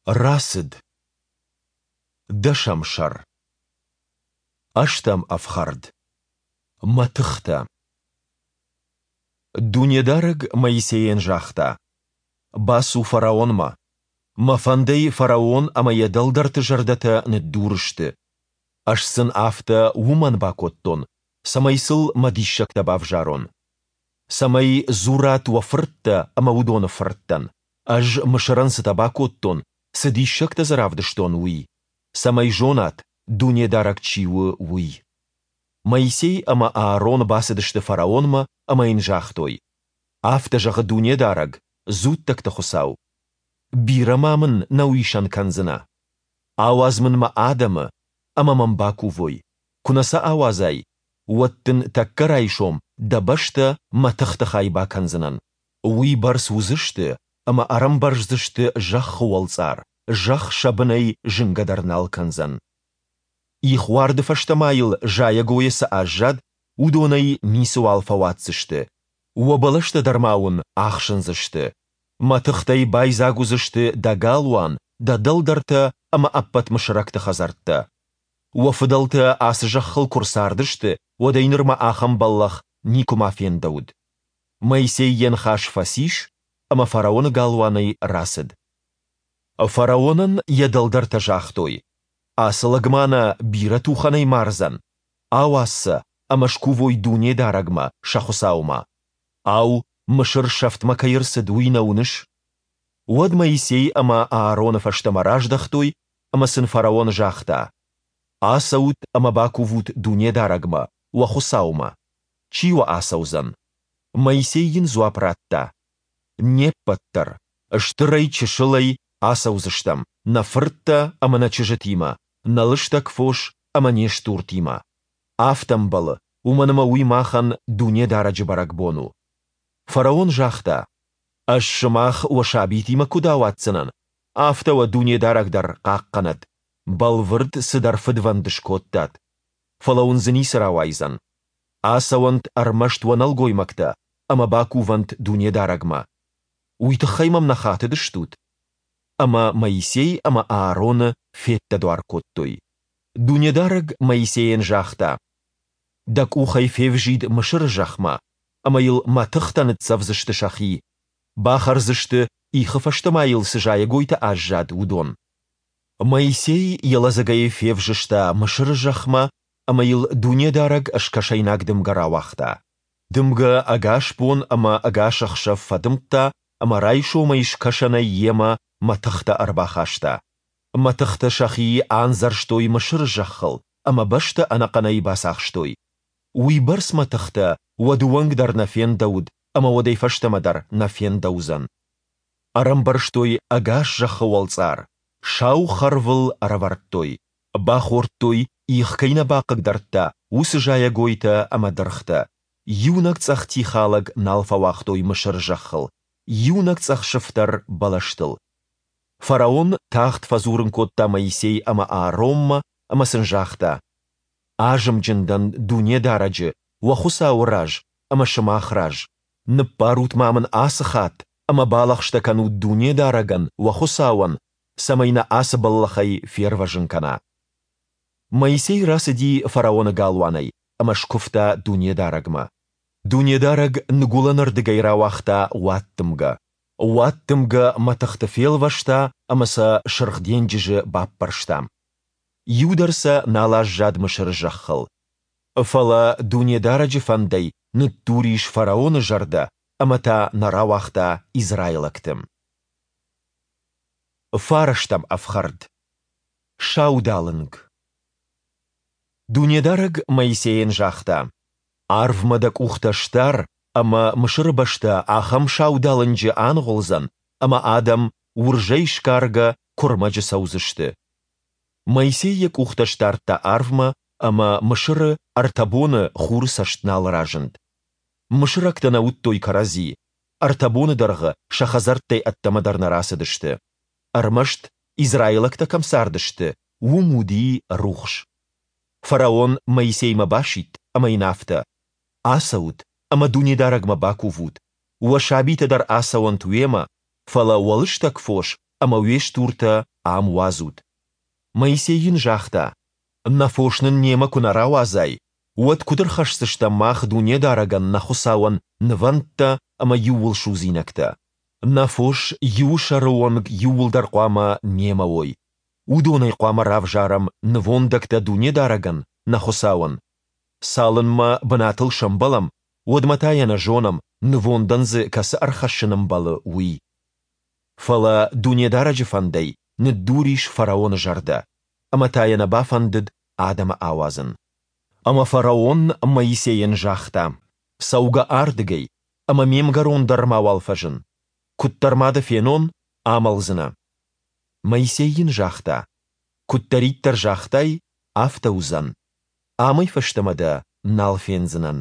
Рацыд. Дӕсӕм сӕр. Ӕстӕм ӕфхӕрд. Мӕтыхтӕ. Дунедарӕг Моисейӕн загъта: Бацу фараонмӕ. Мӕ фӕндӕй фараон ӕмӕ йӕ дӕлдӕрты зӕрдӕтӕ ныддур сты. Ӕз сын афтӕ уымӕн бакодтон, цӕмӕй сыл мӕ диссӕгтӕ бавзарон. Цӕмӕй дзурат уӕ фырттӕ ӕмӕ уыдоны фырттӕн, ӕз Мысырӕн цытӕ бакодтон, цы диссӕгтӕ дзы равдыстон, уый, цӕмӕй зонат, Дунедарӕг чи у, уый. Моисей ӕмӕ Аарон бацыдысты фараонмӕ ӕмӕ йын загътой: Афтӕ зӕгъы Дунедарӕг, дзуттӕгты Хуыцау: Бирӕ ма мын нӕ уисӕн кӕндзынӕ? Ауадз мын мӕ адӕмы, ӕмӕ мӕм бакувой. Куы нӕ сӕ ауадзай, уӕд дын тӕккӕ райсом дӕ бӕстӕ мӕтыхты хай бакӕндзынӕн. Уый бӕрц уыдзысты, ӕмӕ ӕрӕмбӕрздзысты зӕххы уӕлцъар, зӕхх сӕ бынӕй зынгӕ дӕр нал кӕндзӕн. Ихуарды фӕстӕ ма йыл зайӕгойӕ цы аззад, уыдонӕй ницыуал фӕуадздзысты. Уӕ бӕлӕстӕ дӕр ма уын ӕхсындзысты. Мӕтыхтӕй байдзаг уыдзысты дӕ галуан, дӕ дӕлдӕртӕ ӕмӕ ӕппӕт мысырӕгты хӕдзӕрттӕ. Уӕ фыдӕлтӕ ацы зӕххыл куы рцардысты, уӕдӕй нырмӕ ахӕм бӕллӕх никуыма фендӕуыд. Моисей йӕ ныхас фӕцис ӕмӕ фараоны галуанӕй рацыд. Фараонӕн йӕ дӕлдӕртӕ загътой: Ацы лӕг ма нӕ бирӕ тухӕнӕй мардзӕн? Ауадз сӕ, ӕмӕ скувой Дунедарӕгмӕ, сӕ Хуыцаумӕ. Ау, Мысыр сӕфтмӕ кӕй ӕрцыд, уый нӕ уыныс? Уӕд Моисей ӕмӕ Аароны фӕстӕмӕ раздӕхтой, ӕмӕ сын фараон загъта: Ацӕут ӕмӕ бакувут Дунедарӕгмӕ, уӕ Хуыцаумӕ. Чи уӕ ацӕудзӕн? Моисей йын дзуапп радта: Не ппӕт дӕр, стырӕй-чысылӕй, ацӕудзыстӕм, нӕ фырттӕ ӕмӕ нӕ чызджытимӕ, нӕ лыстӕг фос ӕмӕ не стуртимӕ. Афтӕ ӕмбӕлы, уымӕн ӕмӕ уый махӕн Дунедарӕджы бӕрӕгбон у. Фараон загъта: Ӕз сымах уӕ сабитимӕ куыд ауадздзынӕн, афтӕ уӕ Дунедарӕг дӕр хъахъхъӕнӕд. Бӕлвырд цыдӕр фыдвӕнд скодтат. Фӕлӕ уын дзы ницы рауайдзӕн. Ацӕуӕнт ӕрмӕст уӕ нӕлгоймӕгтӕ ӕмӕ бакувӕнт Дунедарӕгмӕ. Уый тыххӕй мӕм нӕ хатыдыстут? Ӕмӕ Моисей ӕмӕ Аароны феддӕдуар кодтой. Дунедарӕг Моисейӕн загъта: Дӕ къухӕй февзид Мысыры зӕхмӕ, ӕмӕ йыл мӕтыхтӕ ныццӕвдзысты сӕхи, бахӕрдзысты, ихы фӕстӕ ма йыл цы зайӕгойтӕ аззад, уыдон. Моисей йӕ лӕдзӕгӕй февзыста Мысыры зӕхмӕ, ӕмӕ йыл Дунедарӕг скӕсӕйнаг дымгӕ рауагъта. Дымгӕ ӕгас бон ӕмӕ ӕгас ӕхсӕв фӕдымдта ӕмӕ райсомӕй скӕсӕнӕй йемӕ мӕтыхтӕ ӕрбахаста. Мӕтыхтӕ сӕхи андзӕрстой Мысыры зӕххыл ӕмӕ бӕстӕ ӕнӕхъӕнӕй бацахстой. Уый бӕрц мӕтыхтӕ уӕды онг дӕр нӕ фендӕуыд ӕмӕ уӕдӕй фӕстӕмӕ дӕр нӕ фендӕуыдзӕн. Ӕрӕмбӕрзтой ӕгас зӕххы уӕлцъар, сау хӕрвыл ӕрӕвӕрдтой, бахордтой, их кӕй нӕ бахъыгдардта, уыцы зайӕгойтӕ ӕмӕ дыргътӕ. Иунӕг цъӕх тихалӕг нал фӕуагътой Мысыры зӕххыл, иунӕг цъӕх сыфтӕр бӕлӕстыл. Фараон тагъд фӕдзурын кодта Моисей ӕмӕ Ааронмӕ ӕмӕ сын загъта: Азымджын дӕн Дунедарӕджы, уӕ Хуыцауы раз ӕмӕ сымах раз. Ныббарут ма мын ацы хатт ӕмӕ балӕгъстӕ кӕнут Дунедарӕгӕн, уӕ Хуыцауӕн, цӕмӕй нӕ ацы бӕллӕхӕй фервӕзын кӕна. Моисей рацыди фараоны галуанӕй ӕмӕ скуывта Дунедарӕгмӕ. Дунедарӕг ныгуылӕнырдыгӕй рауагъта уаддымгӕ. Уаддымгӕ мӕтыхты фелвӕста ӕмӕ сӕ Сырх денджызы баппӕрста. Иу дӕр сӕ нал аззад Мысыры зӕххыл. Фӕлӕ Дунедарӕджы фӕндӕй ныддур ис фараоны зӕрдӕ ӕмӕ та нӕ рауагъта израилӕгты. Фарӕстӕм ӕфхӕрд. Саудалынг. Дунедарӕг Моисейӕн загъта: Арвмӕ дӕ къухтӕ сдар, ӕмӕ Мысыры бӕстӕ ахӕм саудалынджы аныгъуылдзӕн, ӕмӕ адӕм, уырзӕй сгаргӕ, куырмӕджы цӕудзысты. Моисей йӕ къухтӕ сдардта арвмӕ, ӕмӕ Мысыры ӕртӕ боны хуры цӕст нал разынд. Мысырӕгтӕ нӕ уыдтой кӕрӕдзи, ӕртӕ боны дӕргъы сӕ хӕдзӕрттӕй ӕддӕмӕ дӕр нӕ рацыдысты. Ӕрмӕст, израилӕгтӕ кӕм цардысты, уым уыди рухс. Фараон Моисеймӕ басидт ӕмӕ йын афтӕ: Ацӕут ӕмӕ Дунедарӕгмӕ бакувут. Уӕ сабитӕ дӕр ацӕуӕнт уемӕ, фӕлӕ уӕ лыстӕг фос ӕмӕ уе стуртӕ ам уадзут. Моисей йын загъта, Нӕ фос нын немӕ куы нӕ рауадзай, уӕд куыд ӕрхӕсдзыстӕм мах Дунедарӕгӕн, нӕ Хуыцауӕн, нывӕндтӕ ӕмӕ иууылсудзинӕгтӕ? Нӕ фос иуы сӕры онг иууылдӕр хъуамӕ немӕ уой. Уыдонӕй хъуамӕ равзарӕм нывондӕгтӕ Дунедарӕгӕн, нӕ Хуыцауӕн. Цалынмӕ бынатыл сӕмбӕлӕм, уӕдмӕ та йӕ нӕ зонӕм, нывондӕн дзы кӕцы ӕрхӕссын ӕмбӕлы, уый. Фӕлӕ Дунедарӕджы фӕндӕй ныддур ис фараоны зӕрдӕ, ӕмӕ та йӕ нӕ бафӕндыд адӕмы ауадзын. Ӕмӕ фараон Моисейӕн загъта, Цӕугӕ ардыгӕй, ӕмӕ ме мгӕрон дӕр мауал фӕзын. Куыддӕр ма дӕ фенон, амӕлдзынӕ. Моисей йын загъта, Куыддӕриддӕр загътай, афтӕ уыдзӕн. Амӕй фӕстӕмӕ дӕ нал фендзынӕн.